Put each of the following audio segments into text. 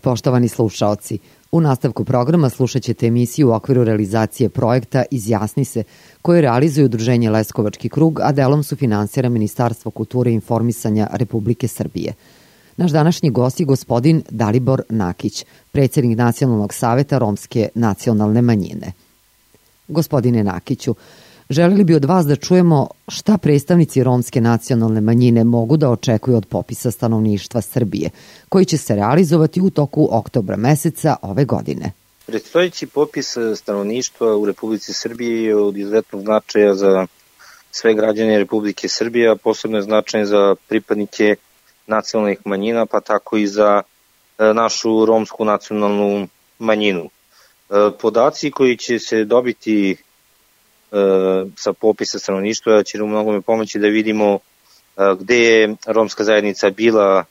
Poštovani slušaoci, u nastavku programa slušat ćete emisiju u okviru realizacije projekta Izjasni se, koje realizuje Udruženje Leskovački krug, a delom su finansira Ministarstvo kulture i informisanja Republike Srbije. Naš današnji gost je gospodin Dalibor Nakić, predsjednik Nacionalnog saveta Romske nacionalne manjine. Gospodine Nakiću, želeli bi od vas da čujemo šta predstavnici Romske nacionalne manjine mogu da očekuju od popisa stanovništva Srbije, koji će se realizovati u toku oktobra meseca ove godine. Predstojeći popis stanovništva u Republici Srbije je od izuzetnog značaja za sve građane Republike Srbije, a posebno je značajan za pripadnike nacionalnih manjina, pa tako i za našu romsku nacionalnu manjinu. Podaci koji će se dobiti sa popisa stanovništva će u mnogome pomoći da vidimo gde je romska zajednica bila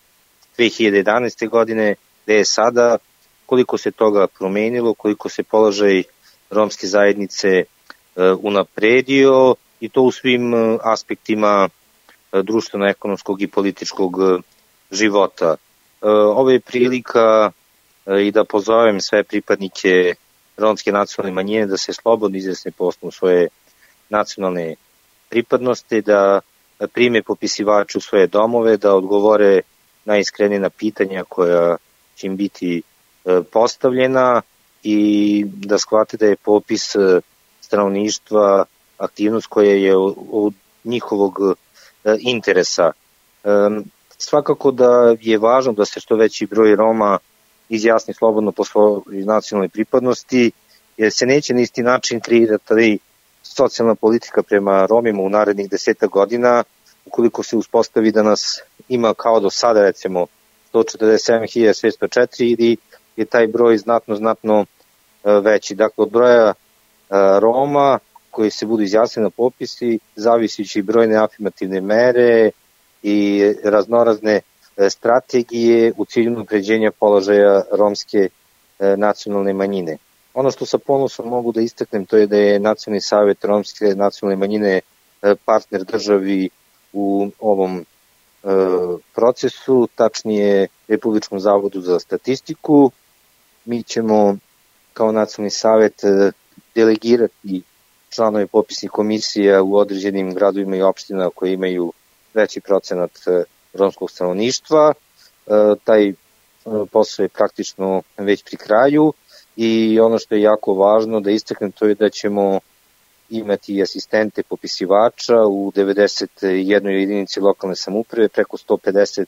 2011. godine, gde je sada, koliko se toga promenilo, koliko se položaj romske zajednice unapredio i to u svim aspektima društveno-ekonomskog i političkog života. Ovo je prilika i da pozovem sve pripadnike romske nacionalne manjine da se slobodno izjasne po osnovu svoje nacionalne pripadnosti, da prime popisivače u svoje domove, da odgovore najiskrenije na pitanja koja će im biti postavljena i da shvate da je popis stanovništva aktivnost koja je od njihovog interesa. Svakako da je važno da se što veći broj Roma izjasni slobodno po svojoj nacionalnoj pripadnosti, jer se neće na isti način kreirati socijalna politika prema Romima u narednih 10 godina, ukoliko se uspostavi da nas ima kao do sada, recimo 147.604 ili je taj broj znatno veći. Dakle, od broja Roma koji se budu izjasnili na popisi, zavisići brojne afirmativne mere i raznorazne strategije u cilju unapređenja položaja romske nacionalne manjine. Ono što sa ponosom mogu da istaknem, to je da je Nacionalni savet romske nacionalne manjine partner državi u ovom procesu, tačnije Republičkom zavodu za statistiku. Mi ćemo kao Nacionalni savet delegirati članove popisnih komisija u određenim gradovima i opštinama koje imaju veći procenat romskog stanovništva. Taj posao je praktično već pri kraju i ono što je jako važno da istaknem, to je da ćemo imati asistente popisivača u 91 jedinici lokalne samouprave, preko 150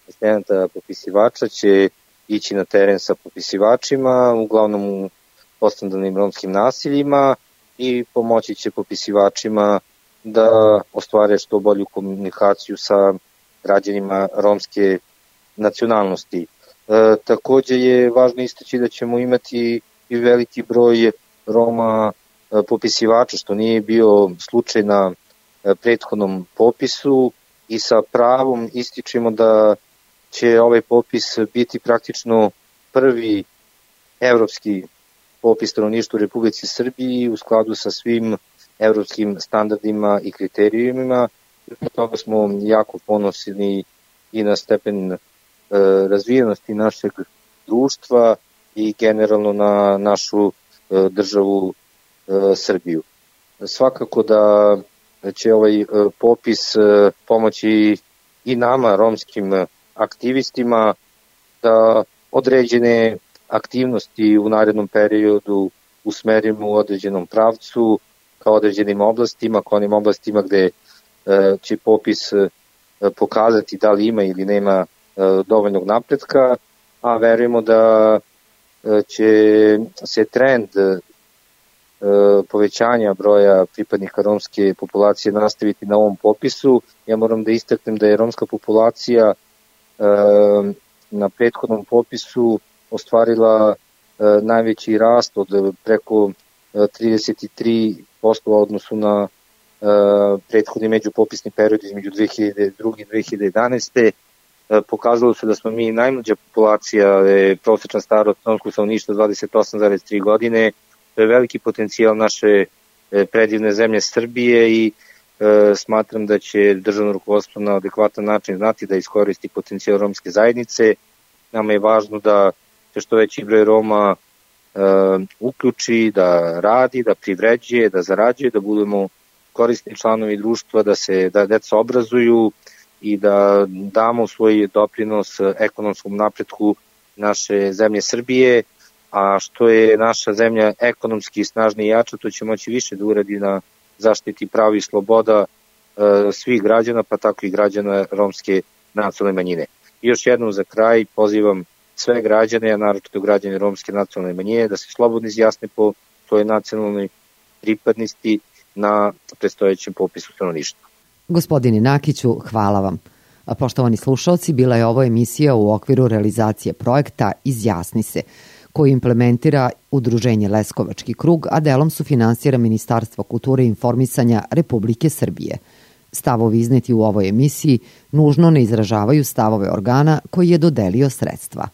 asistenta popisivača će ići na teren sa popisivačima, uglavnom u postandanim romskim naseljima, i pomoći će popisivačima da ostvare što bolju komunikaciju sa građanima romske nacionalnosti. Takođe je važno istaći da ćemo imati i veliki broj Roma popisivača, što nije bio slučaj na prethodnom popisu, i sa pravom ističemo da će ovaj popis biti praktično prvi evropski popis stanovništva u Republici Srbiji u skladu sa svim evropskim standardima i kriterijumima. Zbog toga smo jako ponosni i na stepen razvijenosti našeg društva i generalno na našu državu Srbiju. Svakako da će ovaj popis pomoći i nama, romskim aktivistima, da određene aktivnosti u narednom periodu usmerimo u određenom pravcu, kao određenim oblastima, kao onim oblastima gde će popis pokazati da li ima ili nema dovoljnog napretka, a verujemo da će se trend povećanja broja pripadnika romske populacije nastaviti na ovom popisu. Ja moram da istaknem da je romska populacija na prethodnom popisu ostvarila najveći rast od preko 33% u odnosu na prethodni međupopisni period između 2002. i 2011. Pokazalo se da smo mi najmlađa populacija, prosečna starost romskog stanovništva 28,3 godine. To je veliki potencijal naše predivne zemlje Srbije i smatram da će državno rukovodstvo na adekvatan način znati da iskoristi potencijal romske zajednice. Nama je važno da se što veći broj Roma uključi, da radi, da privređuje, da zarađuje, da budemo korisni članovi društva, da deca obrazuju i da damo svoj doprinos ekonomskom napretku naše zemlje Srbije, a što je naša zemlja ekonomski snažnija i jača, to će moći više da uradi na zaštiti prava i sloboda svih građana, pa tako i građana romske nacionalne manjine. I još jednom za kraj pozivam sve građane, a naročito građane romske nacionalne manjine, da se slobodno izjasne po toj nacionalnoj pripadnosti na predstojećem popisu stanovništva. Gospodine Nakiću, hvala vam. Poštovani slušalci, bila je ovo emisija u okviru realizacije projekta Izjasni se, koji implementira Udruženje Leskovački krug, a delom sufinansira Ministarstvo kulture i informisanja Republike Srbije. Stavovi izneti u ovoj emisiji nužno ne izražavaju stavove organa koji je dodelio sredstva.